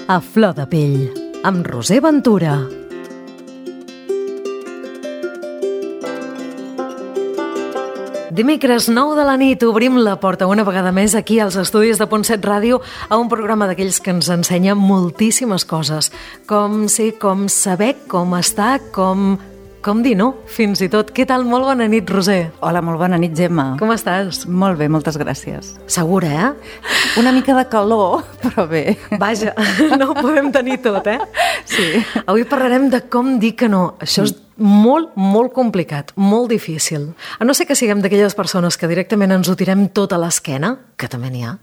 A flor de pell, amb Roser Ventura. Dimecres 9 de la nit obrim la porta una vegada més aquí als estudis de Punt 7 Ràdio a un programa d'aquells que ens ensenya moltíssimes coses. Com ser, com saber, com estar, com dir no, fins i tot. Què tal? Molt bona nit, Roser. Hola, molt bona nit, Gemma. Com estàs? Molt bé, moltes gràcies. Segura, Una mica de calor, però bé. Vaja, no ho podem tenir tot, Sí. Avui parlarem de com dir que no. Això és molt, molt complicat, molt difícil. A no ser que siguem d'aquelles persones que directament ens ho tirem tot a l'esquena, que també n'hi ha,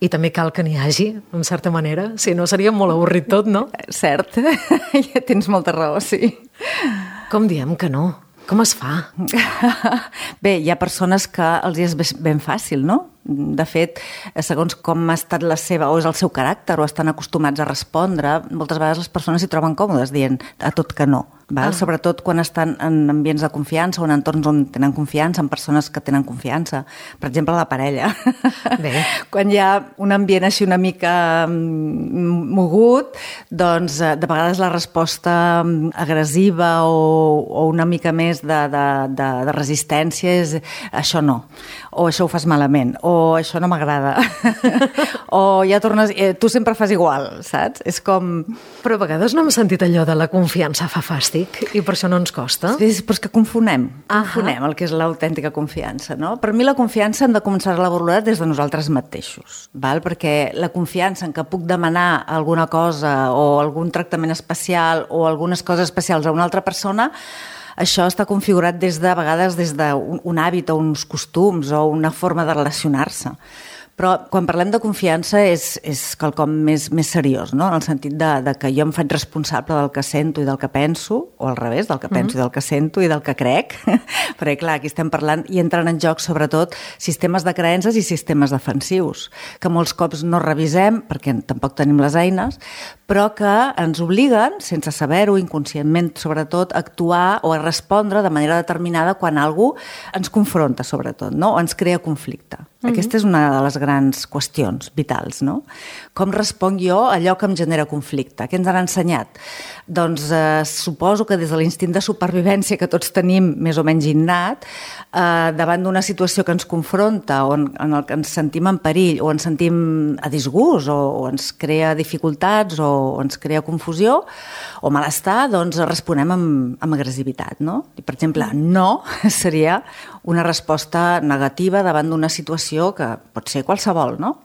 i també cal que n'hi hagi, en certa manera, si no seria molt avorrit tot, no? Cert, ja tens molta raó, sí. Com diem que no? Com es fa? Bé, hi ha persones que els és ben fàcil, no? De fet, segons com ha estat la seva, o és el seu caràcter, o estan acostumats a respondre, moltes vegades les persones s'hi troben còmodes dient a tot que no. Sobretot quan estan en ambients de confiança o en entorns on tenen confiança, en persones que tenen confiança. Per exemple, la parella. Bé. Quan hi ha un ambient així una mica mogut, doncs de vegades la resposta agressiva o una mica més de resistència és això no, o això ho fas malament, o això no m'agrada, o ja tornes, tu sempre fas igual, saps? És com... Però a vegades no hem sentit allò de la confiança fa fàstic i per això no ens costa. Sí, però és que confonem el que és l'autèntica confiança, no? Per mi la confiança hem de començar a valorar des de nosaltres mateixos, val? Perquè la confiança en què puc demanar alguna cosa o algun tractament especial o algunes coses especials a una altra persona, això està configurat a vegades des d'un hàbit o uns costums o una forma de relacionar-se. Però quan parlem de confiança és quelcom més seriós, no? En el sentit de que jo em faig responsable del que sento i del que penso, o al revés, del que penso i del que sento i del que crec, perquè clar, aquí estem parlant i entren en joc sobretot sistemes de creences i sistemes defensius, que molts cops no revisem perquè tampoc tenim les eines, però que ens obliguen, sense saber-ho, inconscientment sobretot, a actuar o a respondre de manera determinada quan algú ens confronta sobretot, no? O ens crea conflicte. Aquesta és una de les grans qüestions vitals, no? Com responc jo a allò que em genera conflicte? Què ens han ensenyat? Doncs suposo que des de l'instint de supervivència que tots tenim més o menys innat, davant d'una situació que ens confronta o en què ens sentim en perill o ens sentim a disgust o ens crea dificultats o ens crea confusió o malestar, doncs responem amb agressivitat, no? I, per exemple, no seria una resposta negativa davant d'una situació que pot ser qualsevol, no?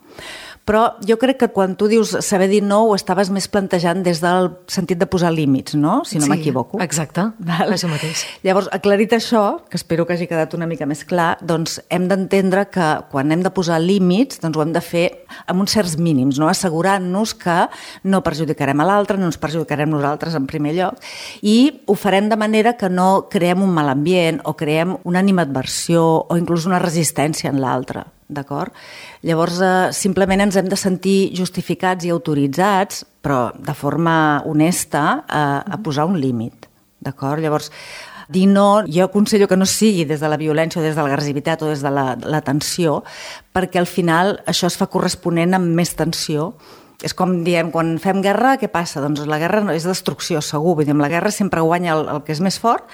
Però jo crec que quan tu dius saber dir no ho estaves més plantejant des del sentit de posar límits, no? Si no m'equivoco. Exacte, això mateix. Llavors, aclarit això, que espero que hagi quedat una mica més clar, doncs hem d'entendre que quan hem de posar límits doncs ho hem de fer amb uns certs mínims, no? Assegurant-nos que no perjudicarem a l'altre, no ens perjudicarem nosaltres en primer lloc i ho farem de manera que no creem un mal ambient o creem una animadversió o inclús una resistència en l'altre. D'acord? Llavors, simplement ens hem de sentir justificats i autoritzats, però de forma honesta, a posar un límit. D'acord? Llavors, dir no, jo aconsello que no sigui des de la violència o des de l'agressivitat o des de la tensió, perquè al final això es fa corresponent amb més tensió. És com diem, quan fem guerra, què passa? Doncs la guerra és destrucció, segur. Vull dir, amb la guerra sempre guanya el que és més fort,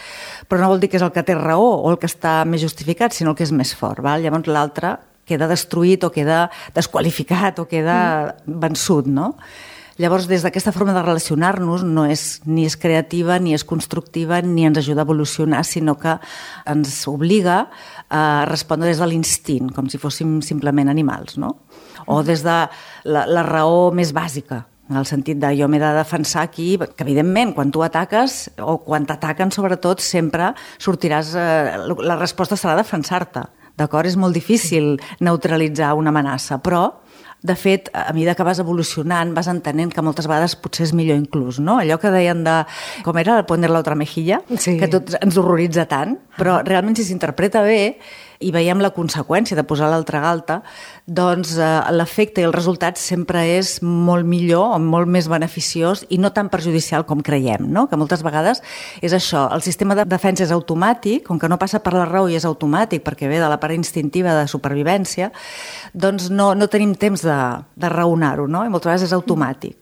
però no vol dir que és el que té raó o el que està més justificat, sinó el que és més fort. Val? Llavors l'altre queda destruït o queda desqualificat o queda vençut, no? Llavors, des d'aquesta forma de relacionar-nos no és ni és creativa, ni és constructiva, ni ens ajuda a evolucionar, sinó que ens obliga a respondre des de l'instint, com si fóssim simplement animals, no? O des de la raó més bàsica, en el sentit de jo m'he de defensar aquí, que evidentment quan tu ataques o quan t'ataquen sobretot sempre sortiràs, la resposta serà defensar-te. D'acord? És molt difícil neutralitzar una amenaça, però, de fet, a mesura que vas evolucionant, vas entenent que moltes vegades potser és millor inclús, no? Allò que deien de, com era, poner la otra mejilla, sí, que tot ens horroritza tant, però realment si s'interpreta bé i veiem la conseqüència de posar l'altra galta, doncs l'efecte i el resultat sempre és molt millor o molt més beneficiós i no tan perjudicial com creiem, no? Que moltes vegades és això, el sistema de defensa és automàtic, com que no passa per la raó i és automàtic perquè ve de la part instintiva de supervivència, doncs no tenim temps de raonar-ho, no? I moltes vegades és automàtic.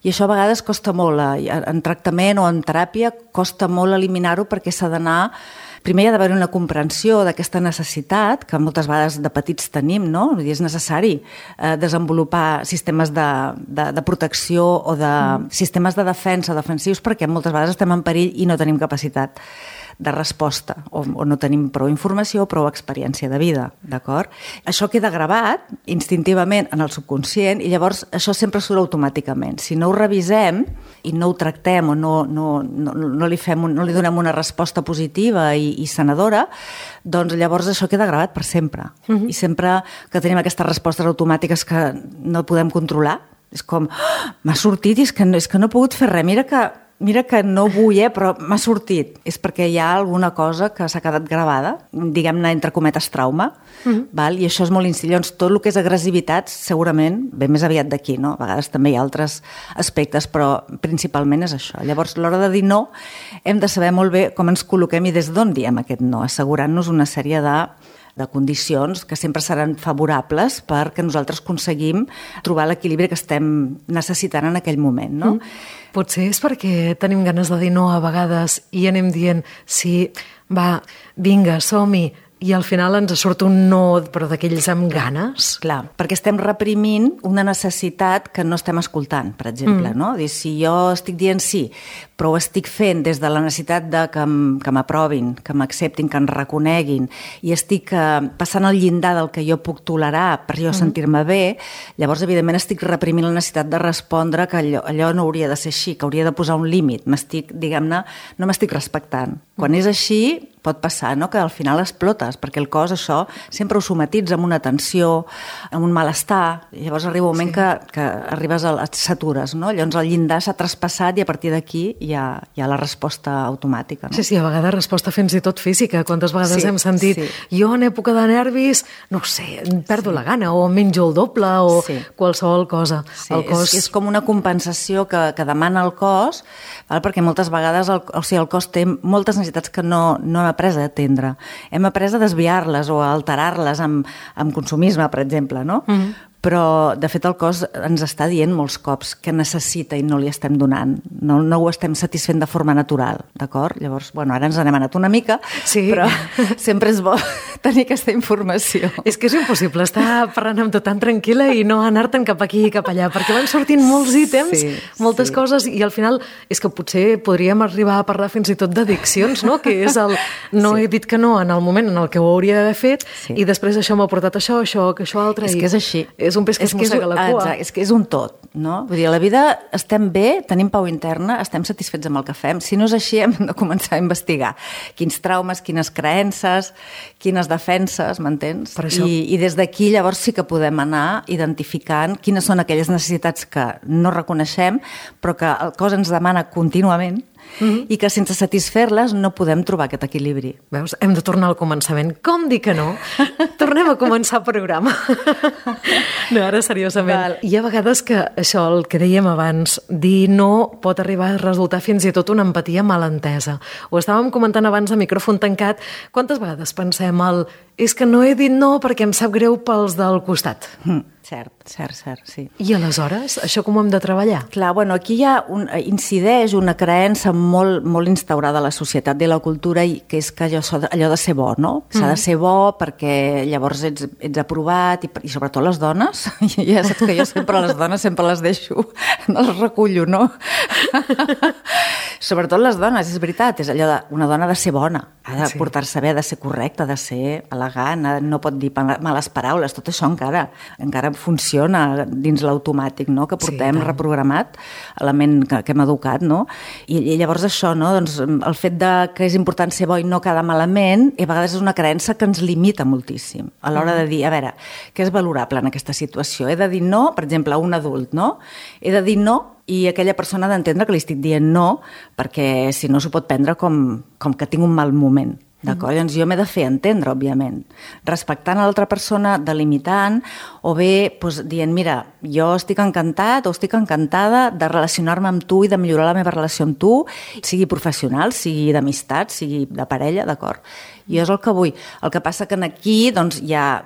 I això a vegades costa molt, en tractament o en teràpia costa molt eliminar-ho perquè s'ha d'anar... Primer hi ha d'haver una comprensió d'aquesta necessitat, que moltes vegades de petits tenim, no? Vull dir, és necessari desenvolupar sistemes de protecció o de sistemes de defensa defensius perquè moltes vegades estem en perill i no tenim capacitat de resposta o no tenim prou informació o prou experiència de vida, d'acord? Això queda gravat instintivament en el subconscient i llavors això sempre surt automàticament. Si no ho revisem i no ho tractem o no li donem una resposta positiva i sanadora, doncs llavors això queda gravat per sempre. I sempre que tenim aquestes respostes automàtiques que no podem controlar, és com, m'ha sortit i és que no he pogut fer res, mira que no vull, però m'ha sortit. És perquè hi ha alguna cosa que s'ha quedat gravada, diguem-ne, entre cometes, trauma, val? I això és molt instil·lant. Llavors, tot el que és agressivitat, segurament, ve més aviat d'aquí, no? A vegades també hi ha altres aspectes, però principalment és això. Llavors, a l'hora de dir no, hem de saber molt bé com ens col·loquem i des d'on diem aquest no, assegurant-nos una sèrie de condicions que sempre seran favorables perquè nosaltres aconseguim trobar l'equilibri que estem necessitant en aquell moment, no? Potser és perquè tenim ganes de dir no a vegades i anem dient sí, va, vinga, som-hi, i al final ens surt un no, però d'aquells amb ganes. Clar, perquè estem reprimint una necessitat que no estem escoltant, per exemple, no? Dir, si jo estic dient sí, però ho estic fent des de la necessitat de que m'aprovin, que m'acceptin, que em reconeguin, i estic passant el llindar del que jo puc tolerar per jo sentir-me bé, llavors, evidentment, estic reprimint la necessitat de respondre que allò no hauria de ser així, que hauria de posar un límit. Diguem-ne, no m'estic respectant. Quan és així, pot passar, no?, que al final explotes, perquè el cos això sempre ho somatitza amb una tensió, amb un malestar, i llavors arriba un moment que arribes et satures, no? Llavors el llindar s'ha traspassat i a partir d'aquí hi ha la resposta automàtica, no? Sí, a vegades resposta fins i tot física. Quantes vegades hem sentit jo en època de nervis, no sé, perdo la gana o menjo el doble o qualsevol cosa. Sí, el cos... és com una compensació que demana el cos, perquè moltes vegades el cos té moltes necessitats que no hem après a atendre. Hem après a desviar-les o a alterar-les amb consumisme, per exemple, no? Però, de fet, el cos ens està dient molts cops que necessita i no li estem donant. No ho estem satisfent de forma natural, d'acord? Llavors, bueno, ara ens n'hem anat una mica, però sempre és bo tenir aquesta informació. És que és impossible estar parlant amb tu tan tranquil·la i no anar-te'n cap aquí i cap allà, perquè van sortint molts ítems, moltes coses, i al final és que potser podríem arribar a parlar fins i tot d'addiccions, no? Que és el no he dit que no en el moment en el que ho hauria d'haver fet i després això m'ha portat això altre. És que és així. És un pes que es mossega la cua. Exacte, és que és un tot, no? Vull dir, a la vida estem bé, tenim pau interna, estem satisfets amb el que fem. Si no és així, hem de començar a investigar quins traumes, quines creences, quines defenses, m'entens? I des d'aquí llavors sí que podem anar identificant quines són aquelles necessitats que no reconeixem, però que el cos ens demana contínuament i que sense satisfer-les no podem trobar aquest equilibri. Veus? Hem de tornar al començament. Com dir que no? Tornem a començar el programa. No, ara seriosament. Hi ha vegades que això, el que dèiem abans, dir no pot arribar a resultar fins i tot una empatia mal entesa. Ho estàvem comentant abans a micròfon tancat. Quantes vegades pensem és que no he dit no perquè em sap greu pels del costat? Cert, sí. I aleshores, això com ho hem de treballar? Clar, bueno, aquí incideix una creença molt instaurada a la societat i a la cultura, que és que allò de ser bo, no? S'ha de ser bo perquè llavors ets aprovat, i sobretot les dones, ja saps que jo sempre les dones sempre les deixo, no les recullo, no? Sobretot les dones, és veritat, és allò una dona ha de ser bona, ha de portar-se bé, ha de ser correcta, ha de ser elegant, no pot dir males paraules, tot això encara funciona dins l'automàtic, no?, que portem reprogramat, a la ment que hem educat, no? I llavors això, no?, doncs el fet que és important ser bo i no quedar malament, a vegades és una creença que ens limita moltíssim a l'hora de dir, a veure, què és valorable en aquesta situació? He de dir no, per exemple, a un adult, no? He de dir no i aquella persona ha d'entendre que li estic dient no, perquè si no s'ho pot prendre com que tinc un mal moment. D'acord? Llavors jo m'he de fer entendre, òbviament, respectant a l'altra persona, delimitant, o bé dient, mira, jo estic encantat o estic encantada de relacionar-me amb tu i de millorar la meva relació amb tu, sigui professional, sigui d'amistat, sigui de parella, d'acord? Jo és el que vull. El que passa que aquí doncs, ja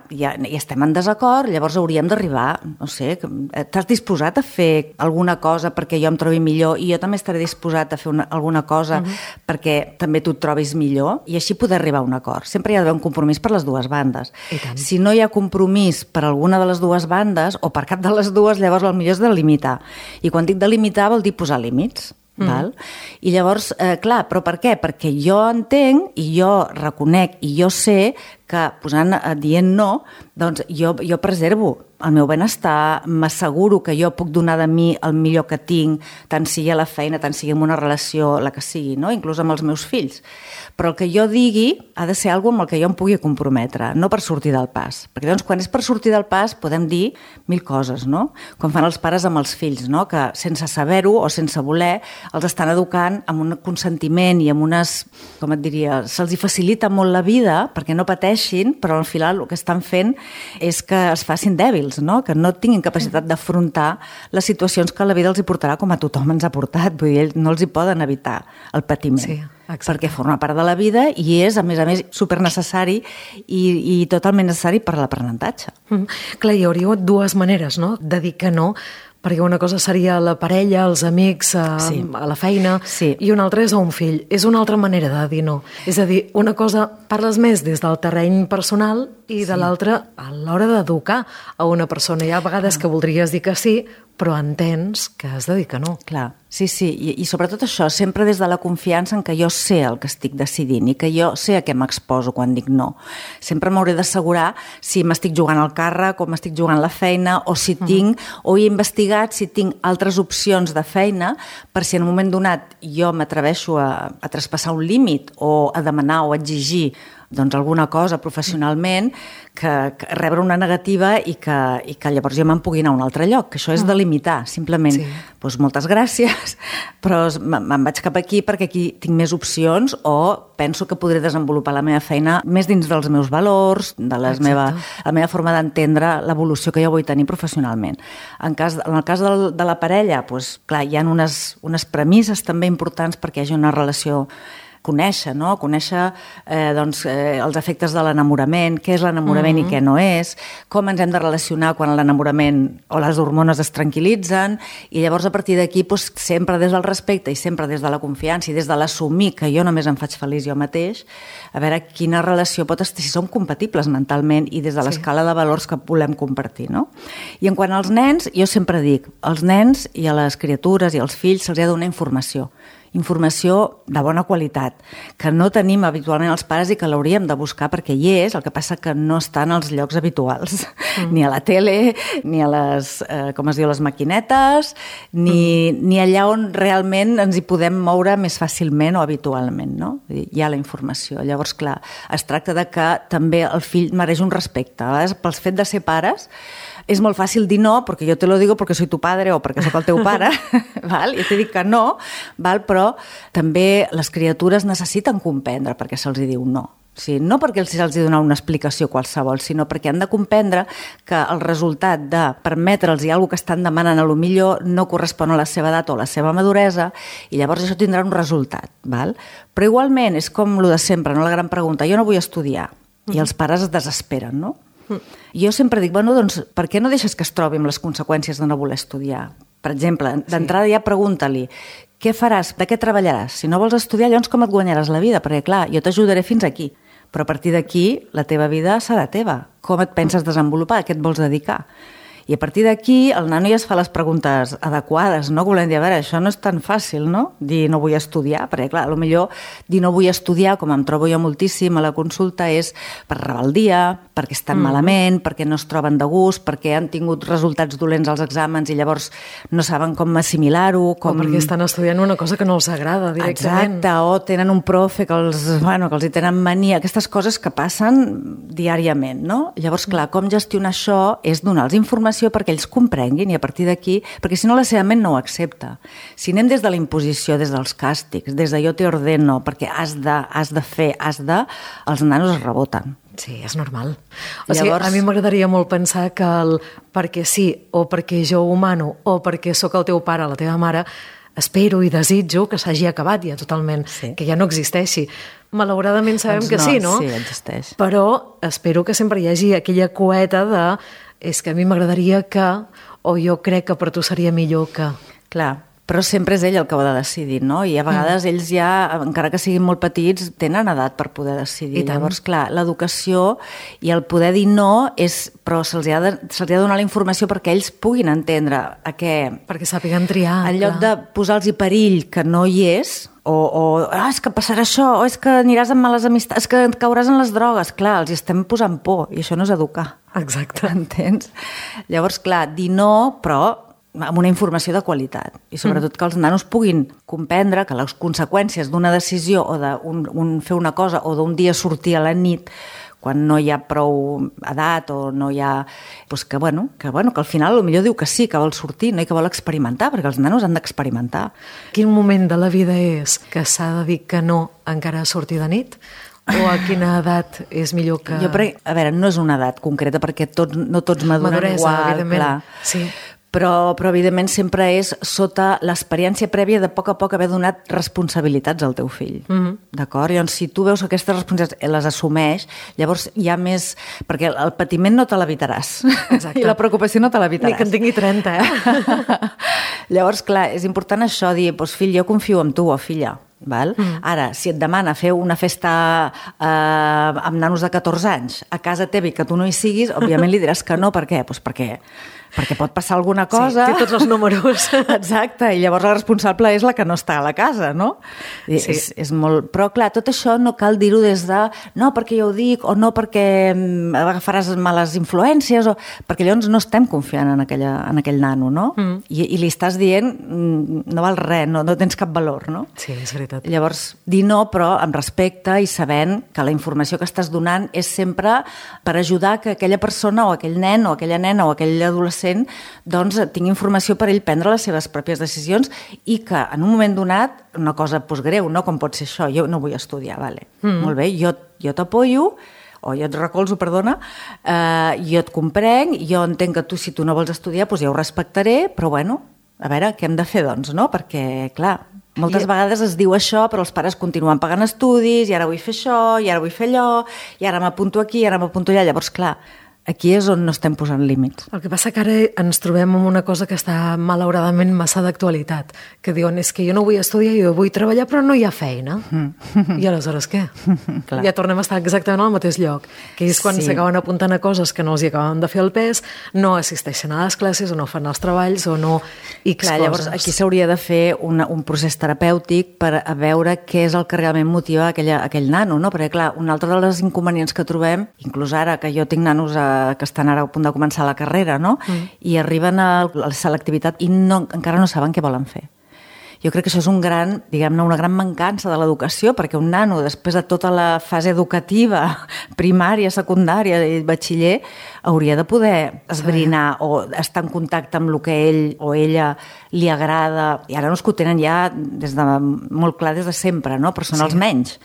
estem en desacord, llavors hauríem d'arribar, no sé, t'has disposat a fer alguna cosa perquè jo em trobi millor i jo també estaré disposat a fer alguna cosa perquè també tu et trobis millor i així poder arribar a un acord. Sempre hi ha d'haver un compromís per les dues bandes. Si no hi ha compromís per alguna de les dues bandes o per cap de les dues, llavors el millor és delimitar. I quan dic delimitar vol dir posar límits. Val? I llavors, clar, però per què? Perquè jo entenc i jo reconec i jo sé que dient no, doncs jo preservo el meu benestar, m'asseguro que jo puc donar de mi el millor que tinc, tant sigui a la feina, tant sigui en una relació, la que sigui, no? Inclús amb els meus fills. Però el que jo digui ha de ser alguna cosa amb el que jo em pugui comprometre, no per sortir del pas. Perquè doncs quan és per sortir del pas podem dir 1000 coses, no? Com fan els pares amb els fills, no? Que sense saber-ho o sense voler els estan educant amb un consentiment i amb unes, com et diria, se'ls hi facilita molt la vida perquè no pateixin, però al final el que estan fent és que es facin dèbils, no? Que no tinguin capacitat d'afrontar les situacions que la vida els hi portarà com a tothom ens ha portat. Vull dir, no els hi poden evitar el patiment. Sí, perquè forma part de la vida i és, a més, supernecessari i totalment necessari per a l'aprenentatge. Clar, hi hauria dues maneres, no?, de dir que no, perquè una cosa seria la parella, els amics, a la feina, i una altra és a un fill. És una altra manera de dir no. És a dir, una cosa parles més des del terreny personal i de l'altra a l'hora d'educar a una persona. Hi ha vegades que voldries dir que sí, però entens que has de dir que no. Clar, sí, i sobretot això, sempre des de la confiança en que jo sé el que estic decidint i que jo sé a què m'exposo quan dic no. Sempre m'hauré d'assegurar si m'estic jugant al càrrec o m'estic jugant la feina o si tinc, o he investigat si tinc altres opcions de feina per si en un moment donat jo m'atreveixo a traspassar un límit o a demanar o a exigir doncs alguna cosa professionalment, que rebre una negativa i que llavors jo me'n pugui anar a un altre lloc, que això és delimitar, simplement. Doncs moltes gràcies, però me'n vaig cap aquí perquè aquí tinc més opcions o penso que podré desenvolupar la meva feina més dins dels meus valors, de la meva forma d'entendre l'evolució que jo vull tenir professionalment. En el cas de la parella, doncs, clar, hi ha unes premisses també importants perquè hi hagi una relació. Conèixer els efectes de l'enamorament, què és l'enamorament i què no és, com ens hem de relacionar quan l'enamorament o les hormones es tranquil·litzen, i llavors a partir d'aquí sempre des del respecte i sempre des de la confiança i des de l'assumir que jo només em faig feliç jo mateix, a veure quina relació pot estar, si som compatibles mentalment i des de l'escala de valors que volem compartir, no? I en quant als nens, jo sempre dic, als nens i a les criatures i als fills se'ls ha de donar informació de bona qualitat, que no tenim habitualment els pares i que l'hauríem de buscar perquè hi és, el que passa que no està en els llocs habituals, ni a la tele, ni a les, les maquinetes, ni allà on realment ens hi podem moure més fàcilment o habitualment, no? Hi ha la informació. Llavors, clar, es tracta de que també el fill mereix un respecte. A vegades, pel fet de ser pares, és molt fàcil dir no, perquè jo te lo digo perquè soy tu padre o perquè soc el teu pare, val? I t'he dit que no, val? Però també les criatures necessiten comprendre perquè se'ls diu no. O sigui, no perquè se'ls donar una explicació qualsevol, sinó perquè han de comprendre que el resultat de permetre'ls alguna cosa que estan demanant a lo millor no correspon a la seva edat o a la seva maduresa i llavors això tindrà un resultat. Val? Però igualment és com el de sempre, no? La gran pregunta, jo no vull estudiar i els pares es desesperen, no? Jo sempre dic, doncs, per què no deixes que es trobi amb les conseqüències de no voler estudiar? Per exemple, d'entrada ja pregunta-li, què faràs, de què treballaràs? Si no vols estudiar, llavors com et guanyaràs la vida? Perquè, clar, jo t'ajudaré fins aquí, però a partir d'aquí la teva vida serà teva. Com et penses desenvolupar? A què et vols dedicar? I a partir d'aquí el nano ja es fa les preguntes adequades, no? Volem dir, a veure, això no és tan fàcil, no? Dir no vull estudiar, perquè clar, potser dir no vull estudiar, com em trobo jo moltíssim a la consulta, és per rebeldia, perquè estan malament, perquè no es troben de gust, perquè han tingut resultats dolents als exàmens i llavors no saben com assimilar-ho. O perquè estan estudiant una cosa que no els agrada directament. Exacte, o tenen un profe que els hi tenen mania, aquestes coses que passen diàriament, no? Llavors, clar, com gestionar això és donar-los informació informació perquè ells comprenguin i a partir d'aquí, perquè si no la seva ment no ho accepta. Si anem des de la imposició, des dels càstigs, des de jo te ordeno, perquè has de fer, els nanos es reboten. Sí, és normal. O sigui, a mi m'agradaria molt pensar que el perquè sí, o perquè jo ho humano, o perquè sóc el teu pare, la teva mare, espero i desitjo que s'hagi acabat ja totalment, que ja no existeixi. Malauradament sabem que sí, no? Sí, existeix. Però espero que sempre hi hagi aquella coeta de és que a mi m'agradaria que, o jo crec que per tu seria millor que... Clar, però sempre és ell el que ho ha de decidir, no? I a vegades ells ja, encara que siguin molt petits, tenen edat per poder decidir. Llavors, clar, l'educació i el poder dir no però se'ls ha de donar la informació perquè ells puguin entendre a què... Perquè sàpiguen triar. En lloc de posar-los perill que no hi és, és que passarà això, o és que aniràs amb males amistats, és que cauràs en les drogues. Clar, els estem posant por i això no és educar. Exacte. Entens? Llavors, clar, dir no, però amb una informació de qualitat i sobretot que els nanos puguin comprendre que les conseqüències d'una decisió o de fer una cosa o d'un dia sortir a la nit quan no hi ha prou edat o no hi ha... Doncs que al final potser diu que sí, que vol sortir, no? I que vol experimentar, perquè els nanos han d'experimentar. Quin moment de la vida és que s'ha de dir que no encara a sortir de nit? O a quina edat és millor que... A veure, no és una edat concreta perquè no tots maduren igual, clar. Sí. Però evidentment sempre és sota l'experiència prèvia de a poc haver donat responsabilitats al teu fill. D'acord? Llavors, si tu veus que aquestes responsabilitats les assumeix, llavors hi ha més... Perquè el patiment no te l'evitaràs. Exacte. I la preocupació no te l'evitaràs. Ni que en tingui 30, Llavors, clar, és important això, dir, fill, jo confio en tu, o filla. Val? Ara, si et demana fer una festa amb nanos de 14 anys a casa teva i que tu no hi siguis, òbviament li diràs que no. Per què? Doncs perquè pot passar alguna cosa. Sí, té tots els números. Exacte, i llavors la responsable és la que no està a la casa, no? Sí. És molt... Però, clar, tot això no cal dir-ho des de no perquè jo ho dic, o no perquè agafaràs males influències, perquè llavors no estem confiant en aquell nano, no? I li estàs dient no val res, no tens cap valor, no? Sí, és veritat. Llavors, dir no, però amb respecte i sabent que la informació que estàs donant és sempre per ajudar que aquella persona o aquell nen o aquella nena o aquell adolescent doncs tingui informació per ell prendre les seves pròpies decisions i que en un moment donat, una cosa greu, no? Com pot ser això, jo no vull estudiar, vale. Molt bé, jo t'apoyo, o jo et recolzo, perdona, jo et comprenc, jo entenc que tu, si tu no vols estudiar, doncs ja ho respectaré, però bueno, a veure, què hem de fer, doncs, no? Perquè, clar, moltes vegades es diu això, però els pares continuen pagant estudis, i ara vull fer això, i ara vull fer allò, i ara m'apunto aquí, i ara m'apunto allà. Llavors, clar, aquí és on no estem posant límits. El que passa que ara ens trobem amb una cosa que està malauradament massa d'actualitat, que diuen, és que jo no vull estudiar, jo vull treballar, però no hi ha feina. I aleshores què? Ja tornem a estar exactament al mateix lloc, que és quan s'acaben apuntant a coses que no els hi acaben de fer el pes, no assisteixen a les classes, o no fan els treballs, o no X coses. Llavors, aquí s'hauria de fer un procés terapèutic per a veure què és el que realment motiva aquell nano, no? Perquè, clar, un altre dels inconvenients que trobem, inclús ara que jo tinc nanos que estan ara a punt de començar la carrera, no? I arriben a la selectivitat i encara no saben què volen fer. Jo crec que això és una gran mancança de l'educació, perquè un nano, després de tota la fase educativa, primària, secundària i batxiller, hauria de poder esbrinar o estar en contacte amb el que ell o ella li agrada. I ara no és que ho tenen ja molt clar des de sempre, no? Però són els menys.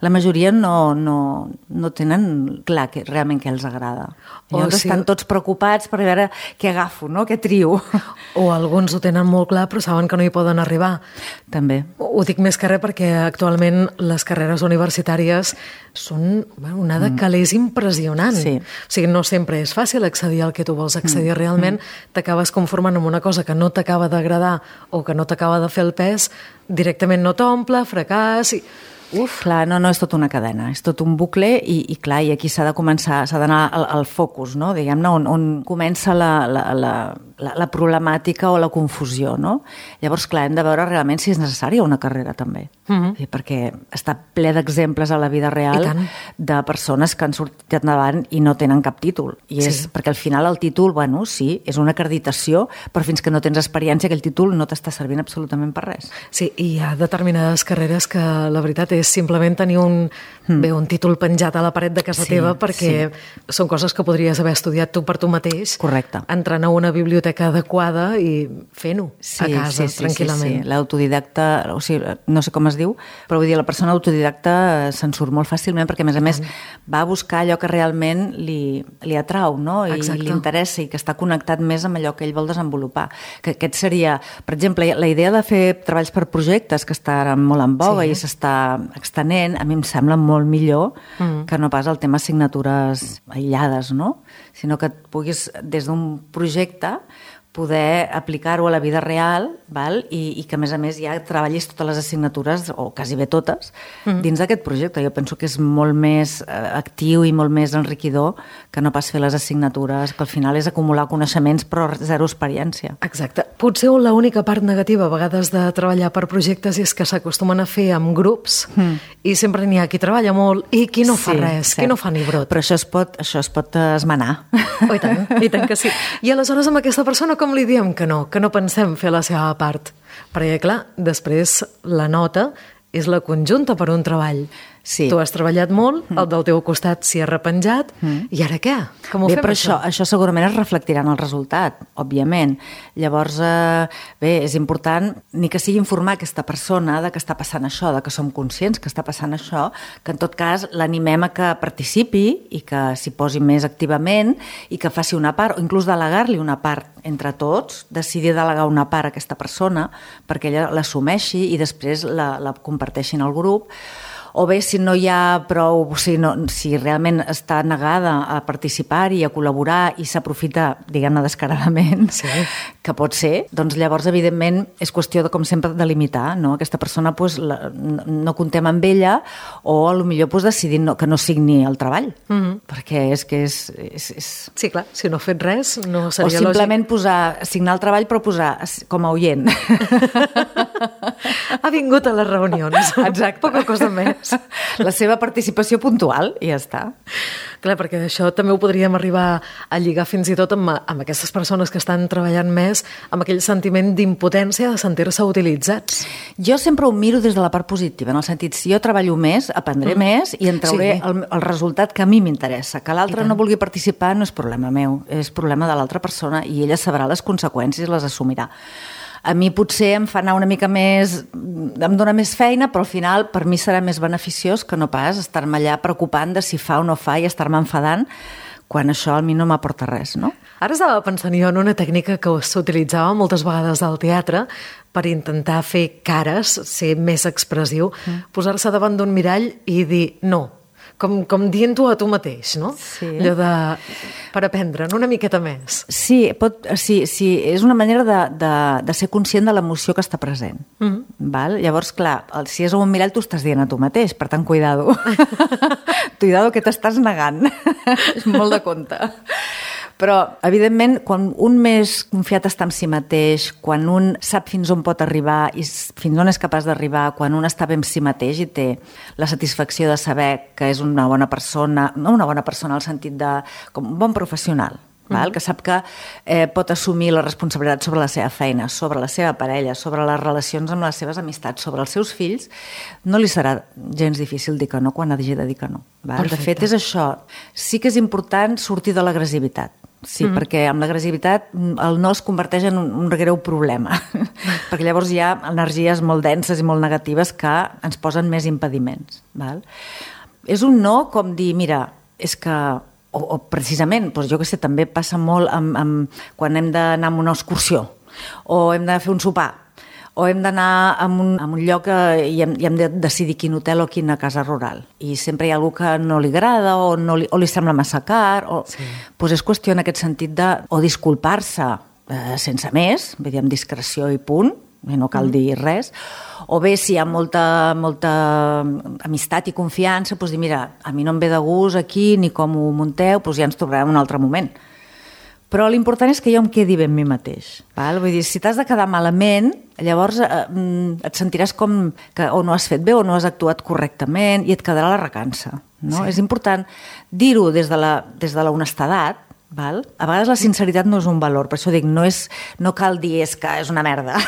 La majoria no tenen clar realment què els agrada. Llavors estan tots preocupats per veure què agafo, no? Què trio. O alguns ho tenen molt clar però saben que no hi poden arribar. També. Ho dic més que res perquè actualment les carreres universitàries són una de calés impressionant. Sí. O sigui, no sempre és fàcil accedir al que tu vols accedir realment. T'acabes conformant amb una cosa que no t'acaba d'agradar o que no t'acaba de fer el pes, directament no t'omple, fracàs... Clar, no, és tot una cadena, és tot un bucle i clar, i aquí s'ha d'anar al focus, no? Diguem-ne, on comença la problemàtica o la confusió, no? Llavors, clar, hem de veure realment si és necessària una carrera, també. Perquè està ple d'exemples a la vida real de persones que han sortit endavant i no tenen cap títol. I és perquè al final el títol, bueno, sí, és una acreditació, però fins que no tens experiència aquell títol no t'està servint absolutament per res. Sí, i hi ha determinades carreres que la veritat és simplement tenir un títol penjat a la paret de casa teva perquè són coses que podries haver estudiat tu per tu mateix. Correcte. Entrant a una biblioteca adequada i fent-ho a casa, tranquil·lament. Sí. L'autodidacta, o sigui, no sé com es diu, però vull dir, la persona autodidacta se'n surt molt fàcilment perquè, a més, va a buscar allò que realment li atrau, no? I li interessa i que està connectat més amb allò que ell vol desenvolupar. Que aquest seria, per exemple, la idea de fer treballs per projectes, que està ara molt en boga i s'està extenent, a mi em sembla molt millor que no pas el tema assignatures aïllades, no? Sinó que et puguis, des d'un projecte, poder aplicar-ho a la vida real, val? I que, a més, ja treballis totes les assignatures, o quasi bé totes, dins d'aquest projecte. Jo penso que és molt més actiu i molt més enriquidor que no pas fer les assignatures, que al final és acumular coneixements però zero experiència. Exacte. Potser l'única part negativa a vegades de treballar per projectes és que s'acostumen a fer amb grups i sempre n'hi ha qui treballa molt i qui no fa res, qui no fa ni brot. Però això es pot esmenar. Oh, i tant que sí. I aleshores amb aquesta persona com li diem que no pensem fer la seva part? Perquè, clar, després la nota és la conjunta per un treball. Sí. Tu has treballat molt, el del teu costat s'hi ha repenjat, i ara què? Com ho fem, però això segurament es reflectirà en el resultat, òbviament. Llavors, és important ni que sigui informar aquesta persona de que està passant això, de que som conscients que està passant això, que en tot cas l'animem a que participi i que s'hi posi més activament i que faci una part, o inclús delegar-li una part entre tots, decidir delegar una part a aquesta persona perquè ella l'assumeixi i després la comparteixi en el grup. O bé, si no hi ha prou, si realment està negada a participar i a col·laborar i s'aprofita, diguem-ne, descaradament, que pot ser, doncs llavors, evidentment, és qüestió, com sempre, de limitar, no? Aquesta persona no comptem amb ella o potser decidir que no signi el treball, perquè és que és... Sí, clar, si no ha fet res, no seria lògic. O simplement signar el treball, però posar com a oient. Ha vingut a les reunions. Exacte. Poca cosa més. La seva participació puntual i ja està. Clar, perquè això també ho podríem arribar a lligar fins i tot amb aquestes persones que estan treballant més, amb aquell sentiment d'impotència de sentir-se utilitzats. Jo sempre ho miro des de la part positiva, en el sentit, si jo treballo més, aprendré més i en trauré el resultat que a mi m'interessa. Que l'altre no vulgui participar no és problema meu, és problema de l'altra persona i ella sabrà les conseqüències i les assumirà. A mi potser em fa anar una mica més, em dona més feina, però al final per mi serà més beneficiós que no pas estar-me allà preocupant de si fa o no fa i estar-me enfadant quan això a mi no m'aporta res, no? Ara estava pensant jo en una tècnica que s'utilitzava moltes vegades al teatre per intentar fer cares, ser més expressiu, posar-se davant d'un mirall i dir no. Com dient-ho a tu mateix, no? Sí. Allò per aprendre'n una miqueta més. Sí, és una manera de ser conscient de l'emoció que està present. Val? Llavors, clar, si és un mirall, tu estàs dient a tu mateix, per tant, cuidado. Cuidado que t'estàs negant. És molt de compte. Però, evidentment, quan un més confiat està en si mateix, quan un sap fins on pot arribar i fins on és capaç d'arribar, quan un està bé amb si mateix i té la satisfacció de saber que és una bona persona, no una bona persona al sentit de com un bon professional, val? Que sap que pot assumir la responsabilitat sobre la seva feina, sobre la seva parella, sobre les relacions amb les seves amistats, sobre els seus fills, no li serà gens difícil dir que no quan hagi de dir que no. Val? De fet, és això. Sí que és important sortir de l'agressivitat. Sí, perquè amb l'agressivitat el no es converteix en un greu problema, perquè llavors hi ha energies molt denses i molt negatives que ens posen més impediments. Val? És un no com dir, mira, és que, o precisament, doncs jo què sé, també passa molt quan hem d'anar a una excursió o hem de fer un sopar o hem d'anar a un lloc i hem de decidir quin hotel o quina casa rural. I sempre hi ha algú que no li agrada o li sembla massa car. Doncs és qüestió en aquest sentit de o disculpar-se sense més, vull dir, amb discreció i punt, no cal dir res, o bé si hi ha molta amistat i confiança, doncs dir, mira, a mi no em ve de gust aquí ni com ho munteu, doncs ja ens trobarem un altre moment. Però l'important és que jo em quedi bé amb mi mateix. Val? Vull dir, si t'has de quedar malament, llavors et sentiràs com que o no has fet bé o no has actuat correctament i et quedarà la recança. No? És important dir-ho des de la honestedat. Val? A vegades la sinceritat no és un valor, per això dic, no cal dir que és una merda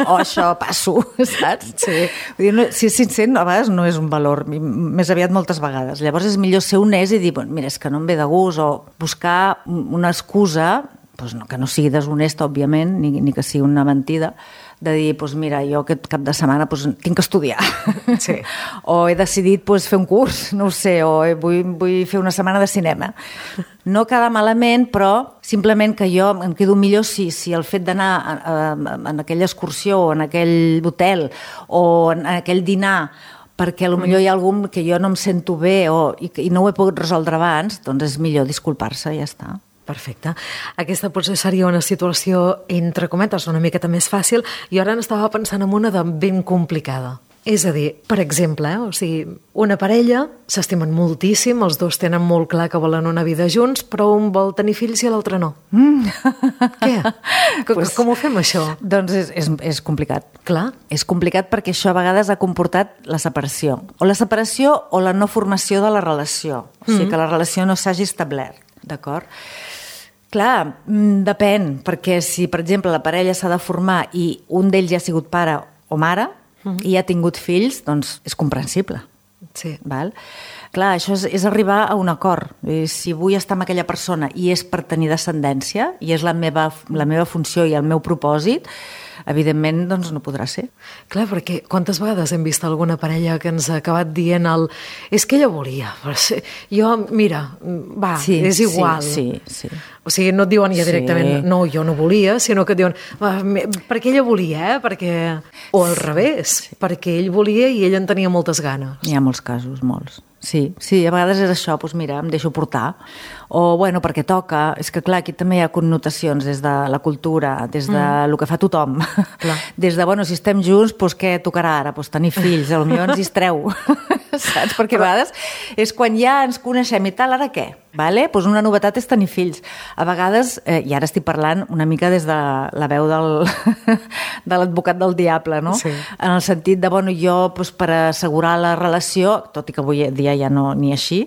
o això passo, saps? Sí. Vull dir, si és sincer, a vegades no és un valor, més aviat moltes vegades. Llavors és millor ser honest i dir, mira, és que no em ve de gust, o buscar una excusa, doncs que no sigui deshonesta, òbviament, ni que sigui una mentida, de dir, mira, jo aquest cap de setmana tinc que estudiar. Sí. O he decidit fer un curs, no ho sé, o vull fer una setmana de cinema. No quedar malament, però simplement que jo em quedo millor si el fet d'anar en aquella excursió o en aquell hotel o en aquell dinar perquè potser hi ha algun que jo no em sento bé i no ho he pogut resoldre abans, doncs és millor disculpar-se i ja està. Perfecte. Aquesta potser seria una situació, entre cometes, una miqueta més fàcil, i ara n'estava pensant en una de ben complicada. És a dir, per exemple, una parella s'estimen moltíssim, els dos tenen molt clar que volen una vida junts, però un vol tenir fills i l'altre no. Què? Com ho fem, això? Doncs és complicat. Clar. És complicat perquè això a vegades ha comportat la separació. O la separació o la no formació de la relació. O sigui, que la relació no s'hagi establert. D'acord? Clar, depèn, perquè si, per exemple, la parella s'ha de formar i un d'ells ja ha sigut pare o mare i ha tingut fills, doncs és comprensible. Sí. Val? Clar, això és arribar a un acord. Si vull estar amb aquella persona i és per tenir descendència i és la meva funció i el meu propòsit, evidentment, doncs no podrà ser. Clar, perquè quantes vegades hem vist alguna parella que ens ha acabat dient és que ella volia, però jo, mira, va, sí, és igual. Sí. O sigui, no et diuen ja directament, no, jo no volia, sinó que et diuen, perquè ella volia, perquè... O al revés, perquè ell volia i ell en tenia moltes ganes. Hi ha molts casos, molts. Sí, a vegades és això, doncs mira, em deixo portar. O, bueno, perquè toca. És que, clar, aquí també hi ha connotacions des de la cultura, des de lo que fa tothom. Clar. Des de, bueno, si estem junts, doncs què tocarà ara? Doncs tenir fills, potser ens distreu. Saps? Perquè a vegades és quan ja ens coneixem i tal, ara què? Vale? Doncs una novetat és tenir fills. A vegades, i ara estic parlant una mica des de la veu de l'advocat del diable, no? Sí. En el sentit de, bueno, jo per assegurar la relació, tot i que avui dia ja no ni així,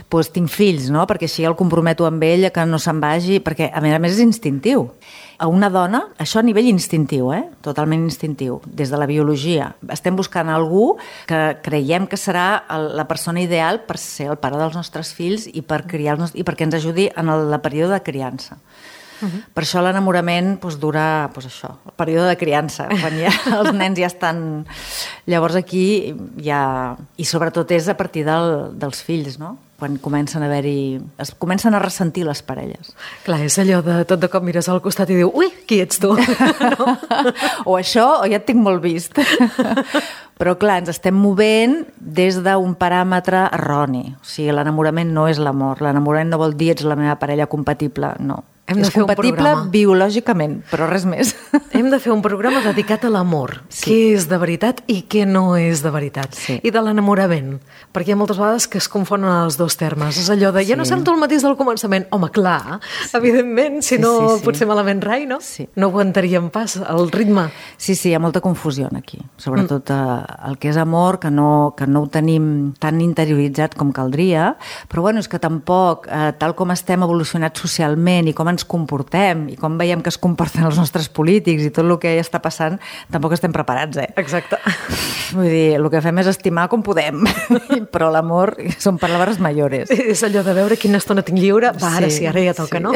doncs tinc fills, no? Perquè així el comprometo amb ell que no se'n vagi, perquè a més és instintiu. A una dona, això a nivell instintiu, totalment instintiu, des de la biologia. Estem buscant algú que creiem que serà la persona ideal per ser el pare dels nostres fills i per criar-los i perquè ens ajudi en el període de criança. Per això l'enamorament dura això, el període de criança, quan els nens ja estan... Llavors aquí ja... I sobretot és a partir dels fills, no? Quan comencen a haver-hi... Es comencen a ressentir les parelles. Clar, és allò de tot de cop mires al costat i diu, ui, qui ets tu? No? O això, o ja et tinc molt vist. Però clar, ens estem movent des d'un paràmetre erroni. O sigui, l'enamorament no és l'amor. L'enamorament no vol dir ets la meva parella compatible, no. És compatible biològicament, però res més. Hem de fer un programa dedicat a l'amor. Sí. Què és de veritat i què no és de veritat. Sí. I de l'enamorament. Perquè hi ha moltes vegades que es confonen els dos termes. És allò de, ja no sento el mateix del començament. Home, clar, evidentment, si no potser malament rai, no? Sí. No aguantaríem pas el ritme. Sí, hi ha molta confusió aquí. Sobretot el que és amor, que no ho tenim tan interioritzat com caldria, però bueno, és que tampoc, tal com estem evolucionats socialment i com ens comportem i com veiem que es comporten els nostres polítics i tot el que està passant, tampoc estem preparats, Exacte. Vull dir, el que fem és estimar com podem, però l'amor són paraules mayores. És allò de veure quina estona tinc lliure, ara ja toca, no?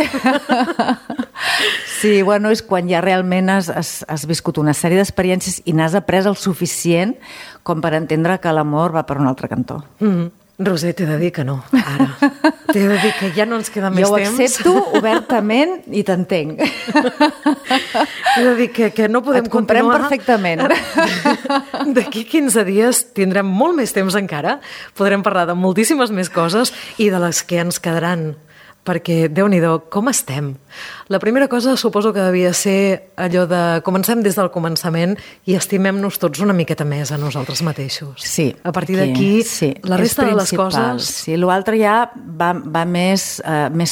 Sí, bueno, és quan ja realment has viscut una sèrie d'experiències i n'has après el suficient com per entendre que l'amor va per un altre cantó. Roser, t'he de dir que no, ara. T'he de dir que ja no ens queda més temps. Jo ho accepto obertament i t'entenc. T'he de dir que no podem Et comprem continuar. perfectament. D'aquí 15 dies tindrem molt més temps encara. Podrem parlar de moltíssimes més coses i de les que ens quedaran perquè, Déu-n'hi-do, com estem? La primera cosa suposo que devia ser allò de comencem des del començament i estimem-nos tots una miqueta més a nosaltres mateixos. Sí. A partir d'aquí, la resta de les coses... Sí, l'altre ja va més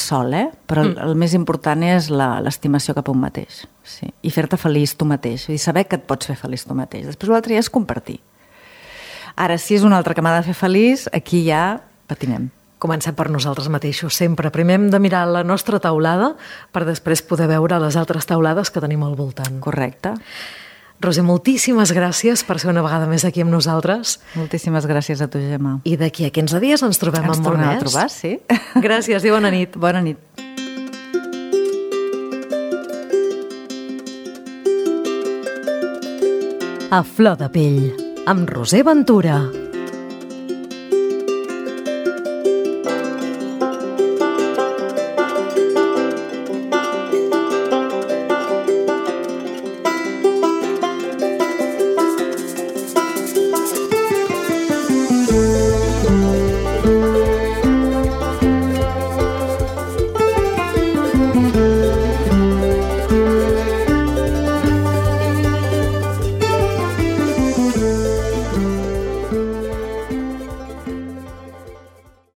sol, però el més important és l'estimació cap a un mateix. Sí. I fer-te feliç tu mateix, i saber que et pots fer feliç tu mateix. Després l'altre ja és compartir. Ara, si és un altre que m'ha de fer feliç, aquí ja patinem. Comencem per nosaltres mateixos, sempre. Primer hem de mirar la nostra taulada per després poder veure les altres taulades que tenim al voltant. Correcte. Roser, moltíssimes gràcies per ser una vegada més aquí amb nosaltres. Moltíssimes gràcies a tu, Gemma. I d'aquí a 15 dies ens trobem amb molt més. Ens tornem a trobar, sí. Gràcies i bona nit. Bona nit. A flor de pell, amb Roser Ventura.